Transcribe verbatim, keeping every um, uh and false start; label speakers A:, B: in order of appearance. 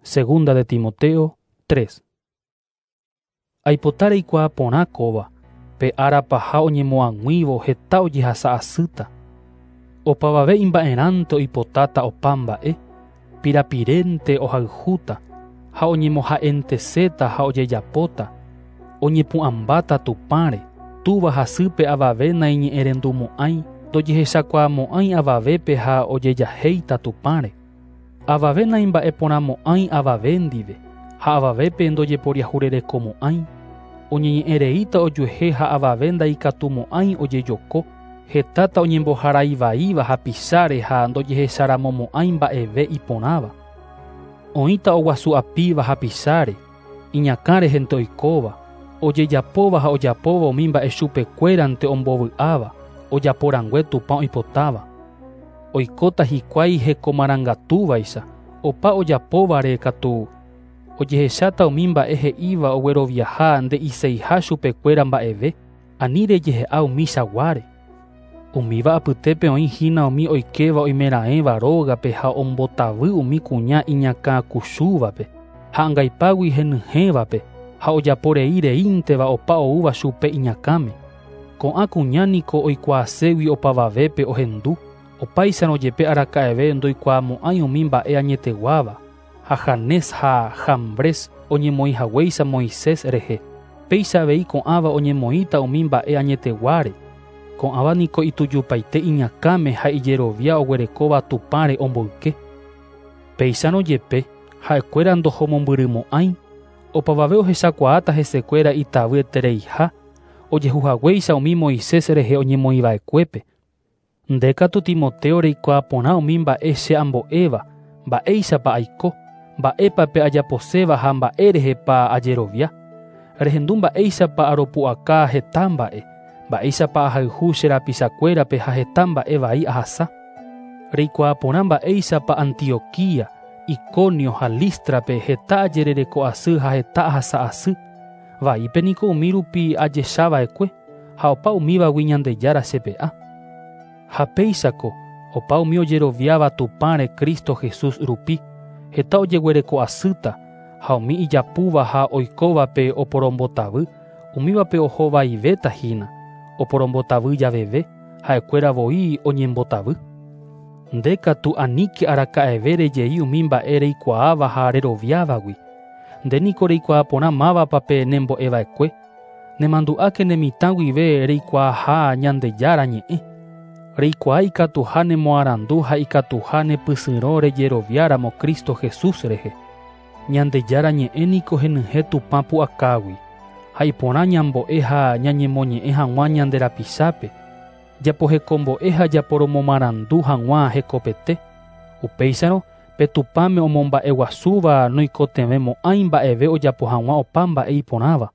A: Segunda de Timoteo tres. Aipota reikuaa porã kóva, pe ára paha oñemoag̃uívo heta ojehasa asýta. Opavave imba'erãnte oipotáta opa mba'e, pirapirénte ohayhúta, ha oñemoha'enteséta ha ojejapóta, oñepu'ãmbáta Tupãre, túva hasýpe avave naiñe'ẽrendumo'ãi, ndojehechakuaamo'ãi avavépe ha ojejahéita Tupãre. Avave naimba'eporãmo'ãi avave ndive, ha avavépe ndojeporiahurerekomo'ãi, oñeñe'ẽreíta ojuehe ha avave ndaikatumo'ãi ojejoko, hetáta oñemboharaivaíva hapicháre ha ndojehecharamomo'ãi mba'eve iporãva. Oĩta oguasu'apíva hapicháre, iñakãrehente oikóva, ojejapóva ha ojapóva umi mba'e chupekuérante ombovy'áva, ojaporangue Tupã oipotáva. Oikóta hikuái hekomarangatúvaicha, opa ojapóvare katu ojehecháta umi mba'e he'íva ogueroviaha nde'iseiha chupekuéra mba'eve, ani rejehe'a umi chaguáre. Umíva apytépe oĩhína umi oikéva oimeraẽva rógape ha ombotavy umi kuña iñakãkuchúvape, ha angaipágui henyhẽvape, ha ojaporei reínteva opa oúva chupe iñakãme. Ko'ã kuña niko oikuaaségui opavavépe ohendu, opáicharo jepe araka'eve ndoikuaamo'ãi umi mba'e añeteguáva, ha Janés ha Jambres oñemoĩhaguéicha Moisés rehe, péicha avei ko'ãva oñemoĩta umi mba'e añeteguáre. Ko'ãva niko itujupaite iñakãme ha ijerovia oguerekóva Tupãre omboyke. Péicharõ jepe ha'ekuéra ndohomombyrymo'ãi, opavave ohechakuaáta hesekuéra itavyetereiha, ojehuhaguéicha umi Moisés rehe oñemoĩva'ekuépe. Nde katu Timoteo reikuaa porã umi mba'e che ambo'éva, mba'éichapa aiko, mba'épa pe ajaposéva ha mba'érehepa ajerovia. Rehendu mba'éichapa aropu'aka heta mba'e, mba'éichapa ahayhu che rapichakuérape ha heta mba'e vai ahasa. Reikuaa porã mba'éichapa Antioquía, Iconio ha Lístrape heta ajerereko asy ha heta ahasa asy. Vaípe niko umi rupi ajechava'ekue, ha opa umívagui Ñandejára chepe'a. Ha péichako, opa umi ojeroviáva Tupãre Cristo Jesús rupi, heta ojeguereko asýta, ha umi ijapúva ha oikóvape oporombotavy, umívape ohovaivéta hína, oporombotavy javeve, ha'ekuéra voi oñembotavy. Nde katu aníke araka'eve rejei umi mba'e reikuaáva ha reroviávagui. Nde niko reikuaa porã mávapa pe nembo'eva'ekue, nemandu'áke ne mitã guive reikuaaha Ñandejára ñe'ẽ. Reikuaa ikatuha nemoarandu ha ikatuha nepysyrõ rejeroviáramo Cristo Jesús rehe. Ñandejára ñe'ẽ niko henyhẽ Tupã pu'akágui, ha iporã ñambo'e ha ñañemoñe'ẽ hag̃ua ñande rapichápe, japohekombo'e ha japoromomarandu hag̃ua hekopete. Upéicharõ pe Tupãme omomba'eguasúva noikotevẽmo'ãi mba'eve ojapo hag̃ua opa mba'e iporãva.